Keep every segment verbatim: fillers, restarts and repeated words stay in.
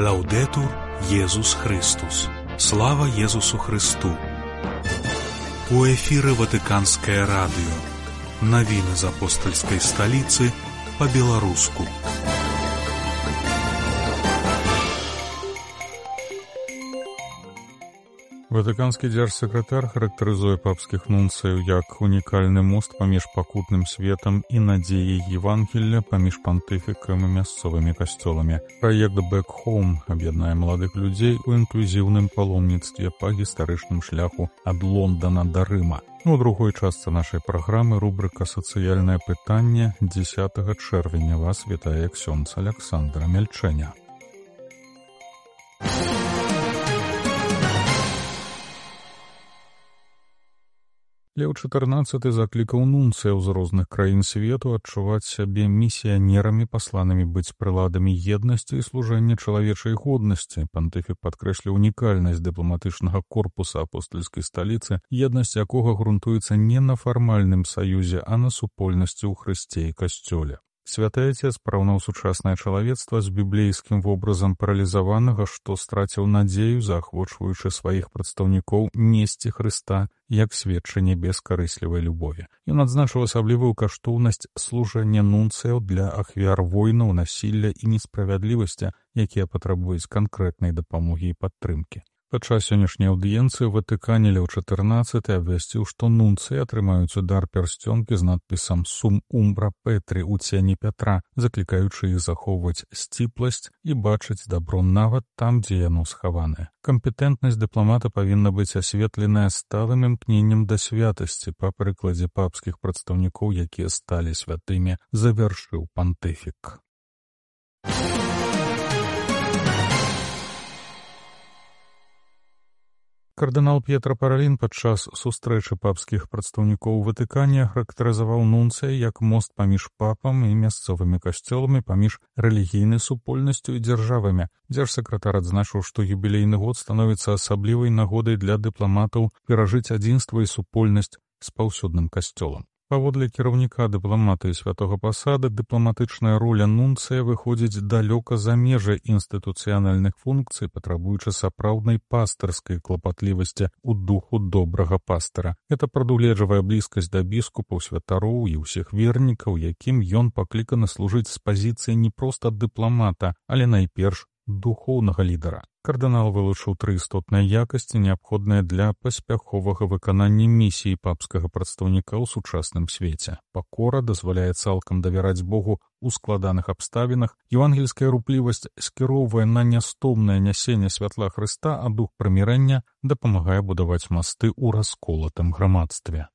Лаўдетур Єсус Христос. Слава Єсусу Христу. У эфіры Ватыканскае радыё. Навіны з апостальскай сталіцы па-беларуску. Ватыканскі дзяржсакратар характарызуе папскіх нунцыяў як унікальны мост паміж пакутным светам і надзеяй Евангелля паміж пантыфікам і мясцовымі касцёламі. Праект «Back Home» аб'яднае маладых людзей у інклюзіўным паломніцтве па гістарычным шляху ад Лондана да Рыма. У другой частцы нашай праграмы рубрыка «Сацыяльнае пытанне» дзесятага чэрвеня вас вітае ксёндз Аляксандра Мяльчэня. Леў чатырнаццаты заклікаў нунцыяў з розных краін свету адчуваць сябе місіянерамі, пасланымі быць прыладамі еднасці і служэння чалавечай годнасці. Пантыфік падкрэсліў унікальнасць дыпламатычнага корпуса апостальскай сталіцы, еднасць якога грунтуецца не на фармальным саюзе, а на супольнасці ў Хрысце і касцёле. Святы Отец параўнаў сучаснае чалавецтва з біблейскім вобразам паралізаванага, што страціў надзею, заахвочваючы сваіх прадстаўнікоў несці Хрыста як сведчанне бескарыслівай любові. Ён адзначыў асаблівую каштоўнасць служэння нунцыяў для ахвяр войнаў, насілля і несправядлівасці, якія патрабуюць канкрэтнай дапамогі і падтрымкі. Падчас сённяшняй аўдыенцыі ў Ватыкане Леў чатырнаццаты абвясціў, што нунцыі атрымаюць удар пярсцёнкі з надпісам «Сум умбра Петрі» у цені Пятра, заклікаючы іх захоўваць сціпласць і бачыць дабро нават там, дзе яно схаванае. Кампетэнтнасць дыпламата павінна быць асветленая сталым імкненнем да святасці па прыкладзе папскіх прадстаўнікоў, якія сталі святымі, завяршыў пантыфік. Кардынал П'етра Паралін падчас сустрэчы папскіх прадстаўнікоў у Ватыкане характарызаваў нунцыя як мост паміж папам і мясцовымі касцёламі, паміж рэлігійнай супольнасцю і дзяржавамі. Дзяржсакратар адзначыў, што юбілейны год становіцца асаблівай нагодай для дыпламатаў перажыць адзінства і супольнасць з паўсюдным касцёлам. Паводле кіраўніка дыпламатыі святога пасада, дыпламатычная роля нунцыя выходзіць далёка за межы інстытуцыянальных функцый, патрабуючы сапраўднай пастырскай клапатлівасці ў духу добрага пастыра. Гэта прадугледжвае блізкасць да біскупаў, святароў і ўсіх вернікаў, якім ён пакліканы служыць з пазіцыі не проста дыпламата, але найперш духоўнага лідара. Кардынал вылучыў тры істотныя якасці, неабходныя для паспяховага выканання місіі папскага прадстаўніка ў сучасным свеце. Пакора дазваляе цалкам давяраць Богу ў складаных абставінах, евангельская руплівасць скіроўвае на нястомнае нясенне святла Хрыста, а дух прымірэння дапамагае будаваць масты ў расколатым грамадстве.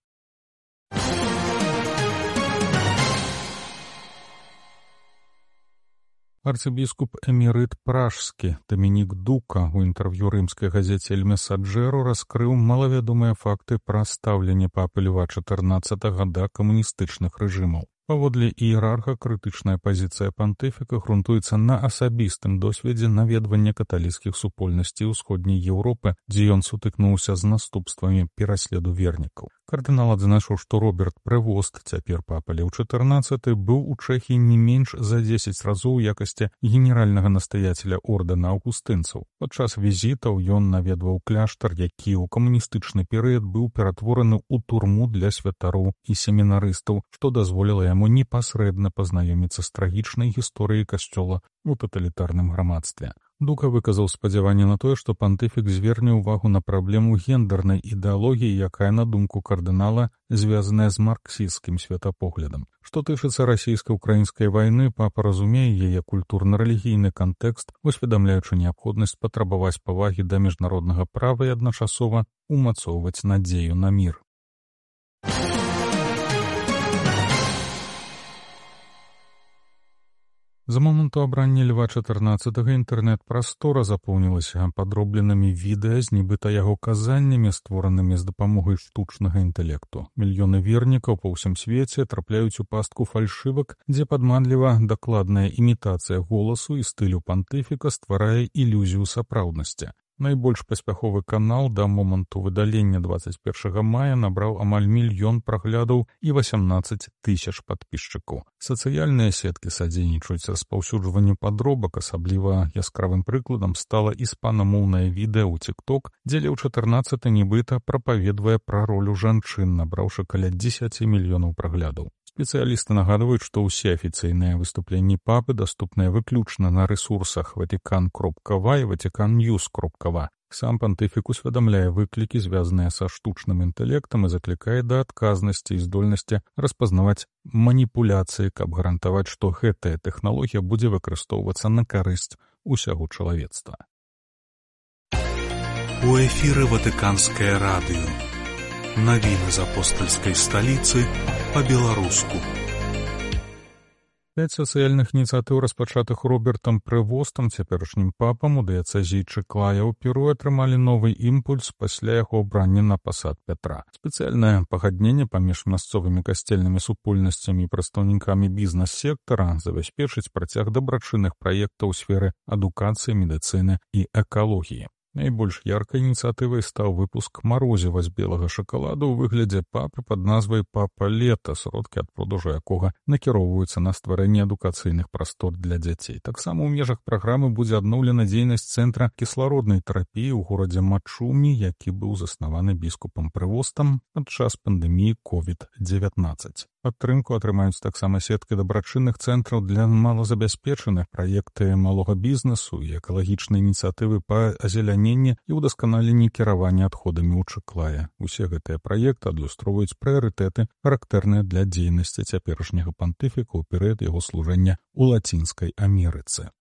Арцыбіскуп эмерыт пражскі Дамінік Дука ў інтэрв'ю рымскай газеце «Эль Месаджэро» раскрыў малавядомыя факты пра стаўленне папы Льва чатырнаццатага да камуністычных рэжымаў. Паводле іерарха, крытычная пазіцыя пантыфіка грунтуецца на асабістым досведзе наведвання каталіцкіх супольнасцей усходняй Еўропы, дзе ён сутыкнуўся з наступствамі пераследу вернікаў. Кардынал адзначыў, што Роберт Прэвост, цяпер папа Леў чатырнаццаты, быў у Чэхіі не менш за дзесяць разоў у якасці генеральнага настаяцеля ордэна аўгустынцаў. Падчас візітаў ён наведваў кляштар, які ў камуністычны перыяд быў ператвораны ў турму для святароў і семінарыстаў, што дазволіла яму непасрэдна пазнаёміцца з трагічнай гісторыяй касцёла у таталітарным грамадстве. Дука выказаў спадзяванне на тое, што пантыфік зверне ўвагу на праблему гендернай ідэалогіі, якая, на думку кардынала, звязаная з марксісцкім светапоглядам. Што тычыцца расійска-ўкраінскай вайны, папа разумее яе культурна-рэлігійны кантэкст, усведамляючы неабходнасць патрабаваць павагі да міжнароднага права і адначасова умацоўваць надзею на мір. З моманту абрання Льва чатырнаццатага інтэрнэт-прастора запоўнілася падробленымі відэа з нібыта яго казаннямі, створанымі з дапамогай штучнага інтэлекту. Мільёны вернікаў па ўсім свеце трапляюць у пастку фальшывак, дзе падманліва дакладная імітацыя голасу і стылю пантыфіка стварае ілюзію сапраўднасці. Найбольш паспяховы канал да моманту выдалення дваццаць першага мая набраў амаль мільён праглядаў і васямнаццаць тысяч падпісчыкаў. Сацыяльныя сеткі садзейнічаюць распаўсюджванню падробак, асабліва яскравым прыкладам стала іспанамоўнае відэа ў TikTok, дзе Леў чатырнаццаты нібыта прапаведвае пра ролю жанчын, набраўшы каля дзесяці мільёнаў праглядаў. Спецыялісты нагадваюць, што ўсе афіцыйныя выступленні папы даступныя выключна на рэсурсах ватикан кропка ва і ватикан ньюс кропка ва. Сам пантыфік усведамляе выклікі, звязаныя са штучным інтэлектам, і заклікае да адказнасці і здольнасці распазнаваць маніпуляцыі, каб гарантаваць, што гэтая тэхналогія будзе выкарыстоўвацца на карысць усяго чалавецтва. У эфіры Ватыканскае радыё. Навіны з апостальскай сталіцы па-беларуску. Пяць сацыяльных ініцыятыў, распачатых Робертам Превостам, цяперашнім папам у дыяцэзіі Чыклая ў Перу, атрымалі новы імпульс пасля яго абрання на пасад Пятра. Спецыяльнае пагадненне паміж мясцовымі касцельнымі супольнасцямі і прадстаўнікамі бізнес-сектара забяспечыць працяг дабрачынных праектаў у сферы адукацыі, медыцыны і экалогіі. Найбольш яркай ініцыятывай стаў выпуск марозіва з белага шакаладу ў выглядзе папы пад назвай «Папа лета», сродкі ад продажу якога накіроўваюцца на стварэнне адукацыйных прастор для дзяцей. Таксама ў межах праграмы будзе адноўлена дзейнасць цэнтра кіслароднай тэрапіі ў горадзе Мачумі, які быў заснаваны біскупам Превостам падчас пандэміі ковід дзевятнаццаць. Падтрымку атрымаюць таксама сеткі дабрачынных цэнтраў для малазабяспечаных, праекты малога бізнесу і экалагічныя ініцыятывы па азеляненні і ўдасканаленні кіравання адходамі ў Чыклае. Усе гэтыя праекты адлюстроўваюць прыярытэты, характэрныя для дзейнасці цяперашняга пантыфіка ў перыяд яго служэння ў Лацінскай Амерыцы.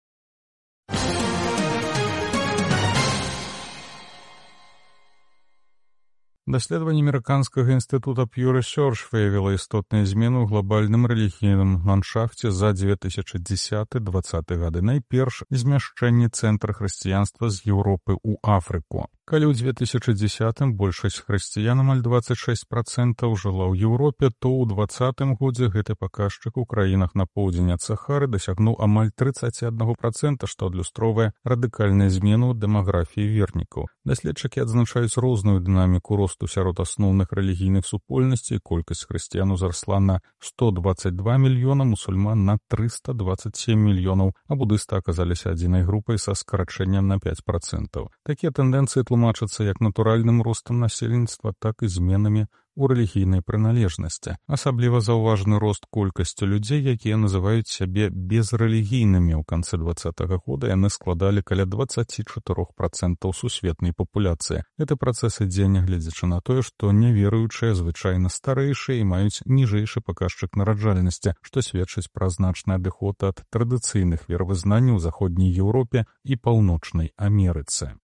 Даследаванне амерыканскага інстытута Pew Research выявіла істотныя змены ў глобальным рэлігійным ландшафце за две тысячы дзесяты — дваццаты гады. Найперш змяшчэнне цэнтра хрысціянства з Еўропы ў Афрыку. Калі ў две тысячы дзесятым большасць хрысціян, амаль дваццаць шэсць працэнтаў, жыла ў Еўропе, то ў дваццатым годзе гэты паказчык у краінах на поўдзень ад Сахары дасягнуў амаль трыццаць адзін працэнт, што адлюстроўвае радыкальную змену ў дэмаграфіі вернікаў. Даследчыкі адзначаюць розную дынаміку росту сярод асноўных рэлігійных супольнасцей. Колькасць хрысціян узрасла на сто дваццаць два мільёна, мусульман на трыста дваццаць сем мільёнаў, а будысты аказаліся адзінай групай са скарачэннем на пяць працэнтаў. Такія тэндэнцыі тлумачацца як натуральным ростам насельніцтва, так і зменамі у рэлігійнай прыналежнасці. Асабліва заўважаны рост колькасці людзей, якія называюць сябе безрэлігійнымі. У канцы дваццатага года яны складалі каля дваццаць чатыры працэнты сусветнай папуляцыі. Гэты працэс ідзе, нягледзячы на тое, што няверуючыя звычайна старэйшыя і маюць ніжэйшы паказчык нараджальнасці, што сведчыць пра значны адыход ад традыцыйных веравызнанняў у заходняй Еўропе і паўночнай Амерыцы.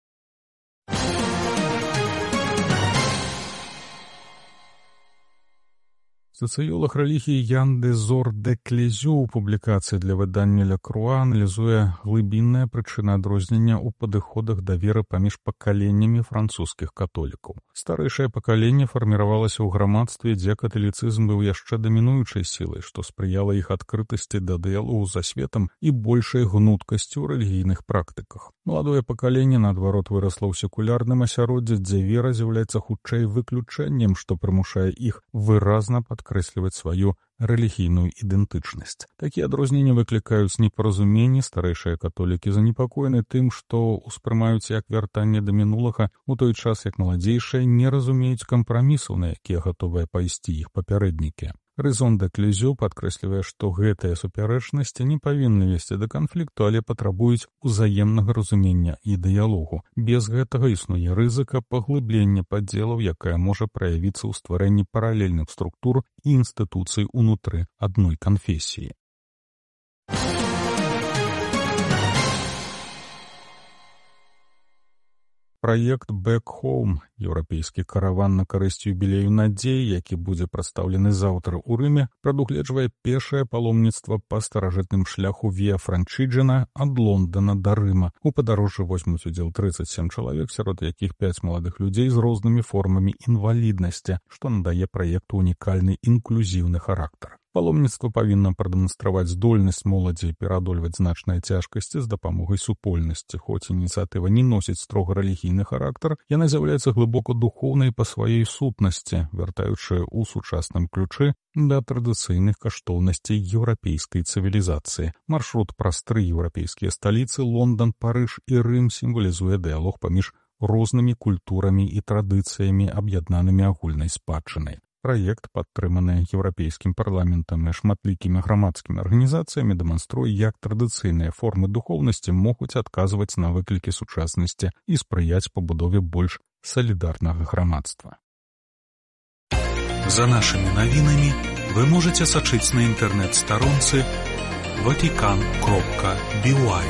Сацыёлаг рэлігіі Ян де Зор де Клезю ў публікацыі для выдання Ля Круа аналізуе глыбінныя прычыны адрознення ў падыходах да веры паміж пакаленнямі французскіх католікаў. Старэйшае пакаленне фарміравалася ў грамадстве, дзе каталіцызм быў яшчэ дамінуючай сілай, што спрыяла іх адкрытасці да дыялогу за светам і большай гнуткасці ў рэлігійных практыках. Маладое пакаленне, наадварот, вырасла ў секулярным асяроддзі, дзе вера з'яўляецца хутчэй выключэннем, што прымушае іх выразна падкрэсліваць сваю рэлігійную ідэнтычнасць. Такія адрозненні выклікаюць непаразуменні. Старэйшыя католікі занепакоены тым, што ўспрымаюць як вяртанне да мінулага, у той час як маладзейшыя не разумеюць кампрамісаў, на якія гатовыя пайсці іх папярэднікі. Рэзон де Клезю падкрэслівае, што гэтыя супярэчнасці не павінны весці да канфлікту, але патрабуюць узаемнага разумення і дыялогу. Без гэтага існуе рызыка паглыблення падзелаў, якая можа праявіцца ў стварэнні паралельных структур і інстытуцый унутры адной канфесіі. Праект «Back Home» — еўрапейскі караван на карысць юбілею надзеі, які будзе прадстаўлены заўтра ў Рыме, прадугледжвае пешае паломніцтва па старажытным шляху Віа Франчыджана ад Лондона да Рыма. У падарожжы возьмуць удзел трыццаць сем чалавек, сярод якіх пяць маладых людзей з рознымі формамі інваліднасці, што надае праекту унікальны інклюзіўны характар. Паломніцтва павінна прадэманстраваць здольнасць моладзі пераадольваць значныя цяжкасці з дапамогай супольнасці. Хоць ініцыятыва не носіць строга рэлігійны характар, яна з'яўляецца глыбока духоўнай па сваёй сутнасці, вяртаючы ў сучасным ключы да традыцыйных каштоўнасцей еўрапейскай цывілізацыі. Маршрут праз тры еўрапейскія сталіцы Лондан, Парыж і Рым сімвалізуе дыялог паміж рознымі культурамі і традыцыямі, аб'яднанымі агульнай спадчынай. Праект, падтрыманы еўрапейскім парламентам і шматлікімі грамадскімі арганізацыямі, дэманструе, як традыцыйныя формы духоўнасці могуць адказваць на выклікі сучаснасці і спрыяць пабудове больш салідарнага грамадства. За нашымі навінамі вы можаце сачыць на інтэрнэт-старонцы ватикан кропка би уай.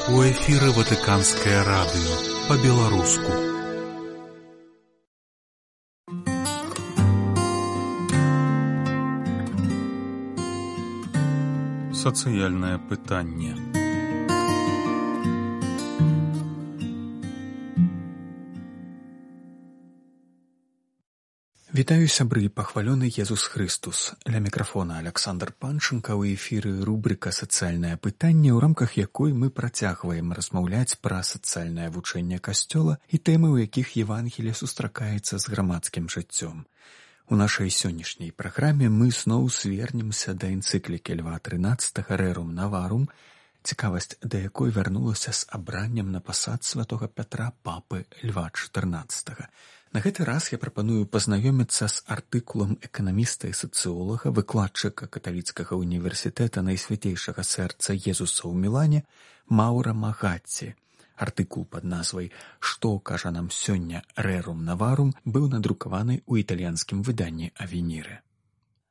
У эфіры Ватыканскае радыё па-беларуску. Сацыяльнае пытанне. Вітаю, сябры, пахвалёны Езус Христус. Ля мікрафона Аляксандр Панченка, у эфіры рубрыка «Сацыяльнае пытанне», у рамках якой мы працягваем размаўляць пра сацыяльнае вучэнне Касцёла і тэмы, у якіх Евангелие сустракаецца з грамадскім жыццём. У нашай сённяшняй праграме мы зноў звернемся да энцыклікі Льва трынаццатага «Рерум Наварум», цікавасць да якой вярнулася з абраннем на пасад святога Пятра папы Льва чатырнаццатага. На гэты раз я прапаную пазнаёміцца з артыкулам эканаміста і сацыолага, выкладчыка каталіцкага універсітэта Найсвятейшага сэрца Езуса ў Мілане Маўра Магатці. Артыкул пад назвай «Што кажа нам сёння Рерум Наварум» быў надрукаваны ў італьянскім выданні Авеніры.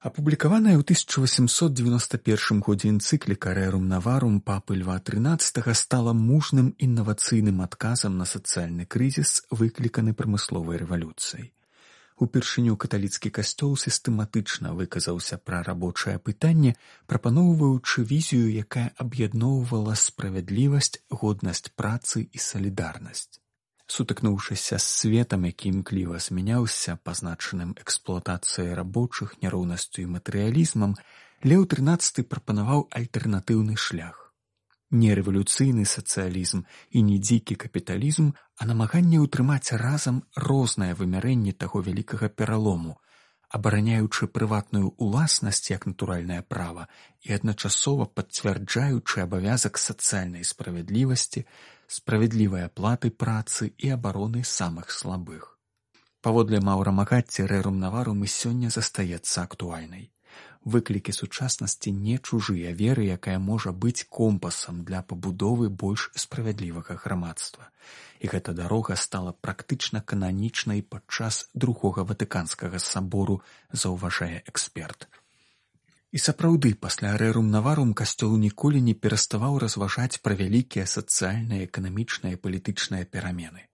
Апублікаваная ў тысяча васемсот дзевяноста першым годзе энцыкліка «Рерум Наварум» папы Льва трынаццатага стала мужным інавацыйным адказам на сацыяльны крызіс, выкліканы прамысловай рэвалюцыяй. Упершыню каталіцкі касцёл сістэматычна выказаўся пра рабочае пытанне, прапаноўваючы візію, якая аб'ядноўвала справядлівасць, годнасць працы і салідарнасць. Сутыкнуўшыся з светам, які імкліва змяняўся, пазначаным эксплуатацыяй рабочых, няроўнасцю і матэрыялізмам, Леў трынаццаты прапанаваў альтэрнатыўны шлях. Не рэвалюцыйны сацыялізм і не дзікі капіталізм, а намаганне ўтрымаць разам рознае вымярэнне таго вялікага пералому, абараняючы прыватную ўласнасць як натуральнае права і адначасова пацвярджаючы абавязак сацыяльнай справядлівасці, справядлівай аплаты працы і абароны самых слабых. Паводле Маўра Магатці, Рерум Наварум і сёння застаецца актуальнай. Выклікі сучаснасці не чужыя веры, якая можа быць компасам для пабудовы больш справядлівага грамадства. І гэта дарога стала практычна кананічнай падчас другога Ватыканскага сабору, заўважае эксперт. І сапраўды, пасля Рерум Наварум касцёл ніколі не пераставаў разважаць пра вялікія сацыяльныя, эканамічныя і палітычныя перамены.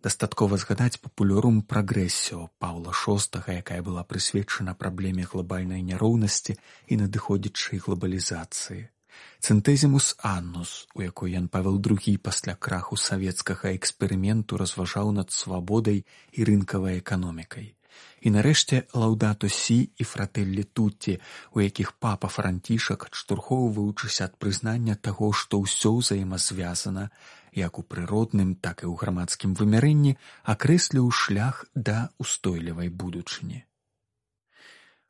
Дастаткова згадаць папулярум прагрэсіо Паўла шостага, якая была прысвечана праблеме глобальнай няроўнасці і надыходзячай глобалізацыі. Цэнтэзімус Аннус, у якой Ян Павел другі пасля краху савецкага эксперыменту разважаў над свабодай і рынкавай эканомікай. І нарэшце Лаўдато Сі і Фрателлі Тутті, у якіх папа Францішак, адштурхоўваючыся ад прызнання таго, што ўсё ўзаемазвязана, як у прыродным, так і ў грамадскім вымярэнні, акрэсліў шлях да ўстойлівай будучыні.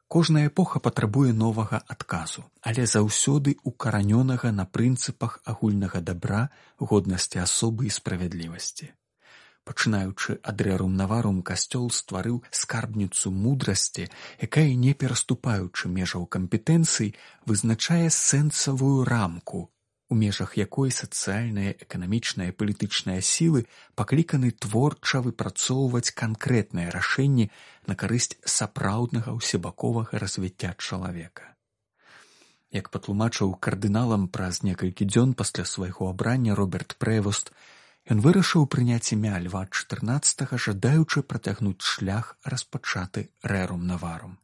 Кожная эпоха патрабуе новага адказу, але заўсёды укаранёнага на прынцыпах агульнага дабра, годнасці асобы і справядлівасці. Пачынаючы ад Рерум Наварум, касцёл стварыў скарбніцу мудрасці, якая, не пераступаючы межаў кампетэнцый, вызначае сэнсавую рамку, у межах якой сацыяльныя, эканамічныя і палітычныя сілы пакліканы творча выпрацоўваць канкрэтныя рашэнні на карысць сапраўднага ўсебаковага развіцця чалавека. Як патлумачыў кардыналам праз некалькі дзён пасля свайго абрання Роберт Прэвост, ён вырашыў прыняць імя Льва чатырнаццатага, жадаючы працягнуць шлях, распачаты Рэрум Наварум.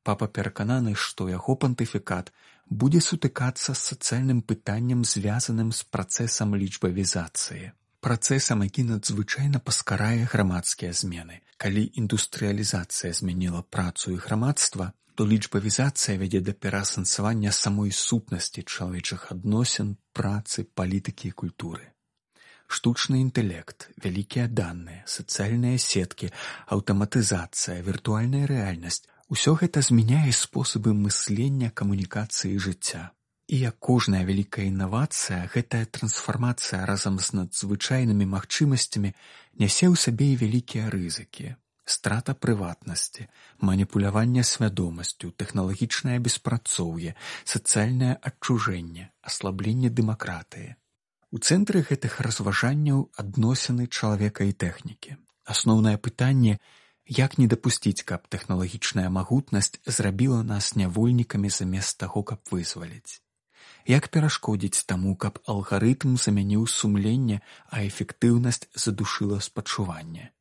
Папа перакананы, што яго пантыфікат будзе сутыкацца з сацыяльным пытаннем, звязаным з працэсам лічбавізацыі. Працэсам, які надзвычайна паскарае грамадскія змены. Калі індустрыялізацыя змяніла працу і грамадства, то лічбавізацыя вядзе да пераасэнсавання самой сутнасці чалавечых адносін, працы, палітыкі і культуры. Штучны інтэлект, вялікія даныя, сацыяльныя сеткі, аўтаматызацыя, віртуальная рэальнасць – усё гэта змяняе спосабы мыслення, камунікацыі і жыцця. І як кожная вялікая інавацыя, гэтая трансфармацыя разам з надзвычайнымі магчымасцямі нясе ў сабе і вялікія рызыкі. Страта прыватнасці, маніпуляванне свядомасцю, тэхналагічнае беспрацоўе, сацыяльнае адчужэнне, аслабленне дэмакратыі. У цэнтры гэтых разважанняў адносіны чалавека і тэхнікі. Асноўнае пытанне – як не дапусціць, каб тэхналагічная магутнасць зрабіла нас нявольнікамі замест таго, каб вызваліць? Як перашкодзіць таму, каб алгарытм замяніў сумленне, а эфектыўнасць задушыла спачуванне?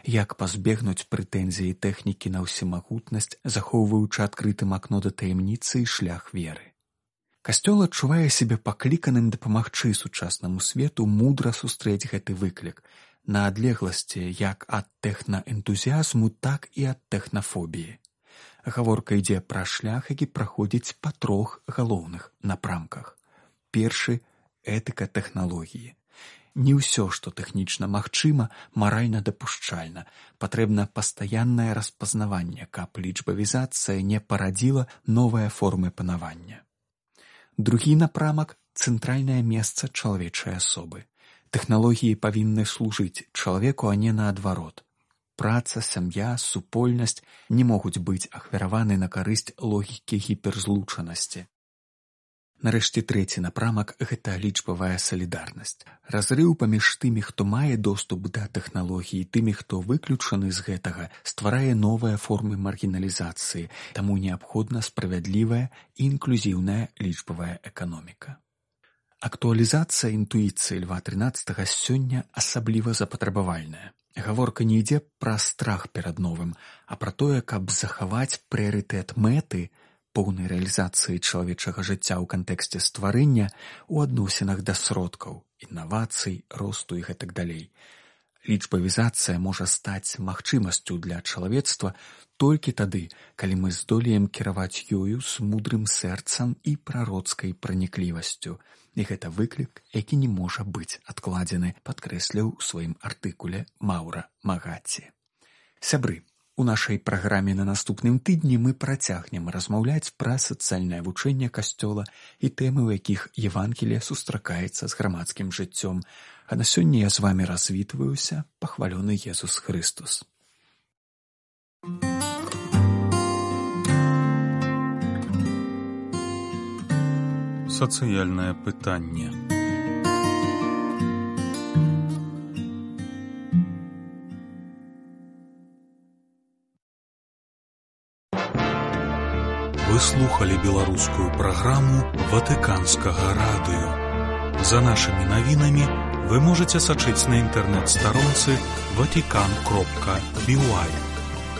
Як пазбегнуць прэтэнзіі тэхнікі на ўсемагутнасць, захоўваючы адкрытым акно да таямніцы і шлях веры? Касцёл адчувае сябе пакліканым дапамагчы сучаснаму свету мудра сустрэць гэты выклік, на адлегласці як ад тэхнаэнтузіязму, так і ад тэхнафобіі. Гаворка ідзе пра шлях, які праходзіць па трох галоўных напрамках. Першы – этыка тэхналогіі. Не ўсё, што тэхнічна магчыма, маральна дапушчальна. Патрэбна пастаяннае распазнаванне, каб лічбавізацыя не парадзіла новыя формы панавання. Другі напрамак – цэнтральнае месца чалавечай асобы. Тэхналогіі павінны служыць чалавеку, а не наадварот. Праца, сям'я, супольнасць не могуць быць ахвяраваны на карысць логікі гіперзлучанасці. Нарэшце трэці напрамак – гэта лічбавая салідарнасць. Разрыў паміж тымі, хто мае доступ да тэхналогіі, тымі, хто выключаны з гэтага, стварае новыя формы маргіналізацыі, таму неабходна справядлівая і інклюзіўная лічбавая эканоміка. Актуалізацыя інтуіцыі Льва трынаццатага сёння асабліва запатрабавальная. Гаворка не ідзе пра страх перад новым, а пра тое, каб захаваць прыярытэт мэты, поўнай рэалізацыі чалавечага жыцця ў кантэксце стварэння ў адносінах да сродкаў, інавацый, росту і гэтак далей. Лічбавізацыя можа стаць магчымасцю для чалавецтва толькі тады, калі мы здолеем кіраваць ёю з мудрым сэрцам і прароцкай праніклівасцю. І гэта выклік, які не можа быць адкладзены, падкрэсліў у сваім артыкуле Маўра Магацці. Сябры, у нашай праграме на наступным тыдні мы працягнем размаўляць пра сацыяльнае вучэнне Касцёла і тэмы, у якіх Евангелие сустракаецца з грамадскім жыццём. А на сёння я з вамі развітваюся, пахвалёны Езус Хрыстус. Сацыяльнае пытанне. Вы слухали беларускую праграму Ватыканскага радыё. За нашымі навінамі вы можаце сачыць на інтэрнэт-старонцы ватикан кропка би уай.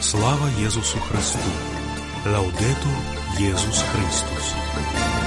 Слава Езусу Христу! Лаўдэтур Езус Христус!